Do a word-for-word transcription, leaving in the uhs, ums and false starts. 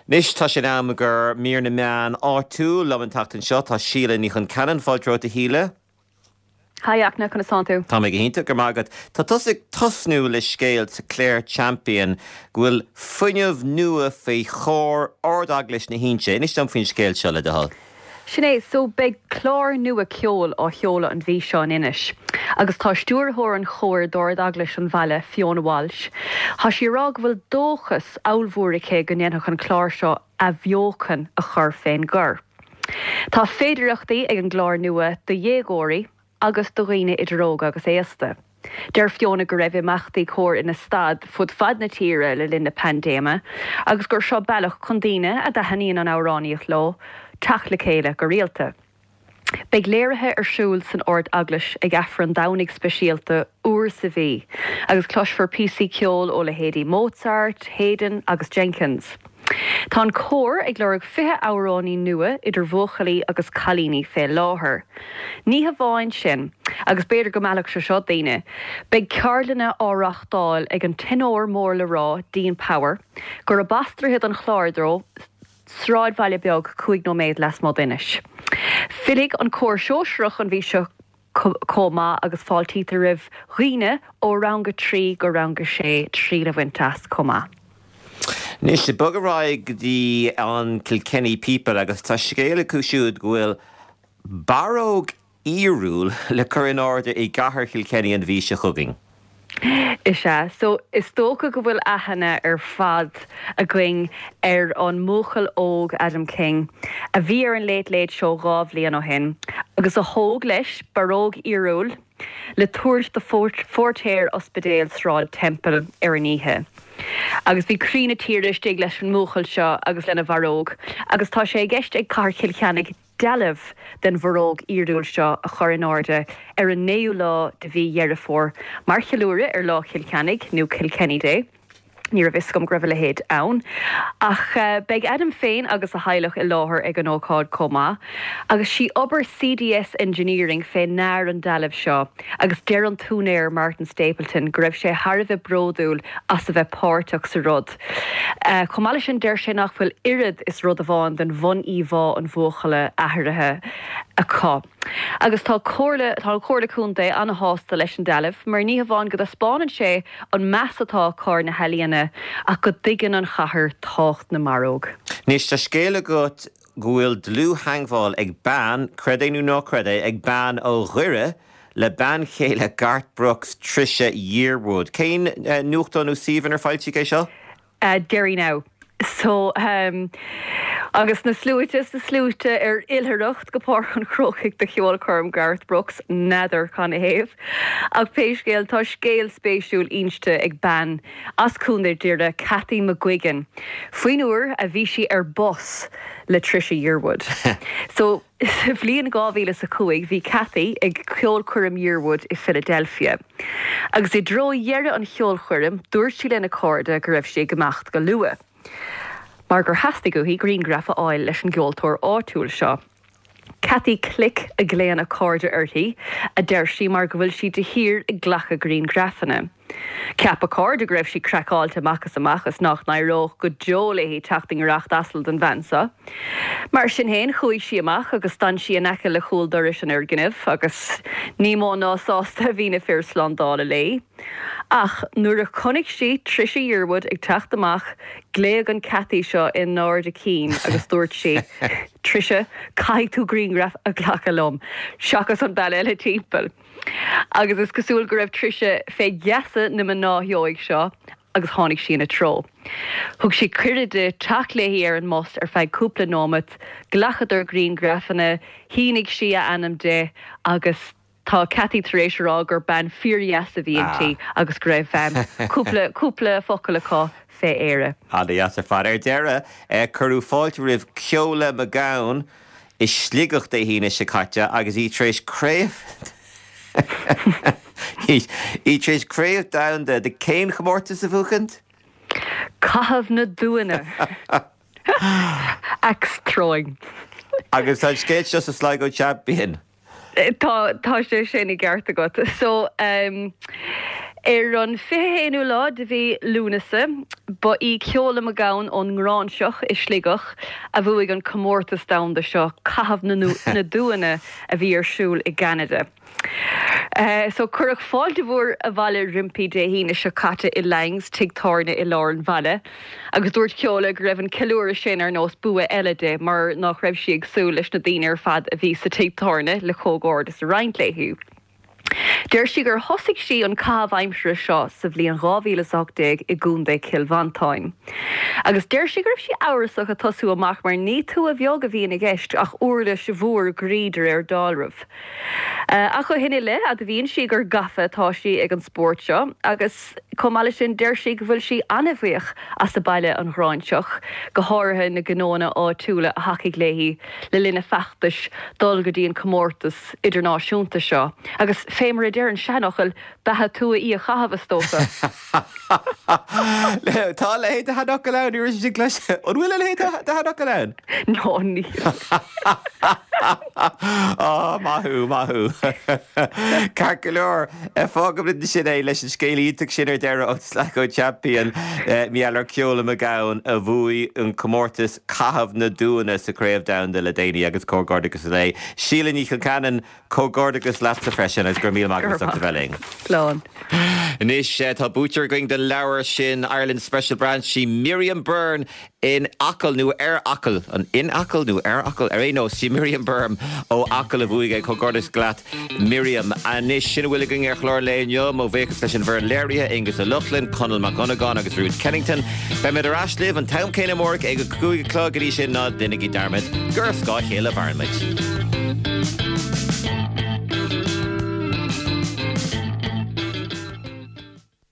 Anois tá sé in am do mhír na meán áitiúil liom an tseachtain seo tá Síle Ní Chonceanainn fáilte romhat a Shíle. Hi Fachtna conas tánn tú? Tá mé go hiontach go maith agat. Tá tusa ag tosnú le scéal sa Clare Champion go bhfuil fuinneamh nua faoi chór Ard-Eaglais na hInse. Inis dom faoin scéal seo le do thoil. Sin é so beidh clár nua ceoil á sheoladh an mhí seo in Inis. Agus tá stiúrthóir an chóir d'Ard-Eaglais an bhaile Fiona Walsh. Tá sí ag rá go bhfuil dóchas ollmhór aici go ndéanfadh an clár seo athbheochan a chur fén gcór. Tá féidearthachtaí ag an gclár nua do dhéagóirí agus do dhaoine idir óg agus aosta. Deir Fiona go raibh imeachtaí cóir ina stad fud fad na tíre le linn na paindéime, agus gur seo bealach chun daoine a dtaitníonn an amhránaíocht leo teacht le chéile go rialta. Beidh léirithe ar siúl san Ard-Eaglais ag Aifreann Domhnaigh speisialta uair sa mhí, agus cloisfear píosaí ceoil ó leithéidí Mozart, Haydn agus Jenkins. Tá an cór ag lorg fiche amhránaí nua idir bhuachaillí agus cailíní fé láthair. Ní hamháin sin, agus b'fhéidir go meallfadh sé seo daoine, beidh ceardlanna á reáchtáil ag an tenór mór le rá Dean Power, gurb as Droichead an Chláir dó sráidbhaile beag cúig nóiméad lasmuigh d'Inis. Fillfidh an cór sóisearach an mhí seo chomh maith agus fáiltítear roimh dhaoine ó rang a trí go rang a sé triail a bhaint as chomh maith. Anois bog ar aghaidh go dtí an Kilkenny People agus tá scéal acu siúd go bhfuil barróg fhíorúil le cur in airde i gcathair Kilkenny an mhí seo chugainn. Is ea, so is dócha go bhfuil aithne ar fad againn ar an mbuachaill óg Adam King, a bhí ar an Late Late Show dhá bhliain ó shin, agus a thóg leis barróg fhíorúil le tabhairt do phóirtéir ospidéal Sráid Temple ar an oíche. Agus bhí croí na tíre istigh leis an mbuachaill seo agus lena bharróg, agus tá sé i gceist ag Cathair Chill Chainnigh dealbh den bharróg fhíorúil seo a chur in airde ar an naoú lá de mhí Dheireadh Fómhair, mar cheiliúradh ar lá Chill Chainnigh nó Kilkenny Day. Ní raibh fhios agam go raibh a leithéid ann. Ach uh, beidh Adam féin agus a theaghlach i láthair ag an ócáid chomh maith, agus sí obair CDS Engineering fé ndear an dealbh seo, agus deir an t-úinéir Martin Stapleton go raibh sé thar a bheith bródúil as a bheith páirteach sa rud. Uh, Chomh maith leis sin deir sé nach bhfuil oiread is rud amháin den bhun-íomhá an bhuachalla athraithe acu. Agus tá comhairle tá an Chomhairle Contae an-sásta leis an dealbh, mar ní hamháin go dtaispeánann sé an meas atá ar na healaíona ach go dtuigeann an chathair tábhacht na mbarróg. Anois tá scéal agat go bhfuil dlúth-theagmháil ag bean creid é nó ná creid é ag bean ó Dhoire le bean chéile Garth Brooks Trisha Yearwood. Cén uh, nuachtán nó suíomh ar foilsíodh é seo? Uh, Derry now. So um, agus na sluaite na sluaite ar oilithreacht go Páirc an Chrócaigh do cheolchoirm Garth Brooks n'fheadar canathaobh. Ach pé scéal tá scéal spéisiúil inste ag bean as Contae Dhoire Cathy McGuigan. Faoin uair a bhí sí ar bus le Trisha Yearwood. so sa bhliain dhá mhíle a cúig bhí Cathy ag ceolchoirm Yearwood i Philadelphia. Agus i dtreo dheireadh an cheolchoirm dúirt sí lena cairde go raibh sí ag imeacht go luath. Mar gur theastaigh uaithi grianghraf a fháil leis an gceoltóir áitiúil seo. Cathy Click a ghlaonn a cairde uirthi, a deir sí mar go bhfuil sí de shíor ag glacadh grianghrafanna. Cheap a cairde go raibh sí craiceáilte amach is amach is nach n-éireodh go deo léi teacht i ngiorracht asail don bhean seo. Mar sin féin chuaigh sí amach agus d'fhan sí in aice le cúl dorais an fhoirgnimh agus ní mó ná sásta a bhí na fir slándála léi. Ach nuair a chonaic sí Trisha Yearwood ag teacht amach, ghlaoigh an Cathy seo in ard a cinn agus dúirt sí Trisha caithfidh tú grianghraf a ghlacadh liom, seachas an bealach eile timpeall. Agus is cosúil go raibh Trisha fé gheasa na mná óige seo agus tháinig sí ina treo. Thug sí cuireadh di teacht léi ar an mbus ar feadh cúpla nóiméad, ghlacadar grianghrafanna, shínigh sí a ainm di agus tá Cathy tar éis rá gur bean fíordheas a bhí inti agus go raibh cúpla cúpla focal acu fé Éire. An-deas ar fad ar deireadh cuireadh fáilte roimh Ceola McGowan i Sligeach Dé hAoine seo caite agus í tar éis craobh í tar éis craobh domhanda de cén chomórtas a bhuachaint? Caitheamh na dtuanna. Axe throwing. Agus tá scéal seo sa Sligo Champion. Tá tá sé sin i gceart agat. So um, Ar an fiche haonú lá de mhí Lúnasa, ba í Ceola McGowan ón nGráinseach i Sligeach a bhuaigh an comórtas domhanda seo, Caitheamh na dTuanna a bhí ar siúl i gCeanada. So cuireadh fáilte mhór abhaile roimpi Dé hAoine seo caite i Langs, tigh tábhairne i lár an bhaile, agus dúirt Ceola go raibh an ceiliúradh sin ar nós bua eile di mar nach raibh sí ag súil leis na daoine ar fad a bhí sa tigh tábhairne le comhghairdeas a roinnt léi. Deir sí gur thosaigh sí an caitheamh aimsire seo sa bhliain dhá mhíle is a hocht déag i gContae Chill Mhantáin. Agus deir sí go raibh sí amhrasach ag tosú amach mar ní tua bheag a bhíonn i gceist ach uirlis mhór groí de réir dealraimh. Ach ó shin i leith, admhaíonn sí gur gafa atá sí ag an spórt seo agus chomh maith leis sin deir sí go bhfuil sí an-bhuíoch as a baile an Ghráinseach, go háirithe na gnóanna áitiúla a thacaigh léi le linn a feachtais dul go dtí an comórtas idirnáisiúnta seo. Agus fé mar a deir an seanfhocal, beatha tua í a chaitheamh, is dócha. Tá a leithéid de sheanfhocal ann, ní raibh sé sin cloiste. An bhfuil a leithéid de sheanfhocal ann? No, níl. Á, maith thú, maith thú. Ceart go leor, fágfaimid ansin é leis an scéal iontach sin ar deireadh ón Sligo Champion, mar gheall ar Ceola McGowan a bhuaigh an comórtas Caitheamh na dTuanna sa Chraobh Domhanda le déanaí agus comhghairdeachas léi. Síle Ní Chonceanainn, Comhghairdeachas leatsa freisin agus go raibh míle maith agat as ucht a bheith linn. Slán. Anois tá buaiteoir againn don leabhar sin Ireland Special Branch, sí Miriam Byrne in Acaill nó ar Acaill, an in Acaill nó ar Acaill? Ar aon nós, sí Miriam Byrne ó Acaill a bhuaigh é. Comhghairdeas leat Miriam. Anois sin a bhfuil againn ar chlár an lae inniu. Mo bhuíochas leis an bhfoireann léirithe, Aonghus Ó Lochlainn, Conall Mac Dhonnagáin agus Ruth Kennington. Beimid ar ais libh an t-am céanna amárach ag a cúig a chlog go dtí sin ná déanaigí dearmad gur ar scáth a chéile a mhaireann muid.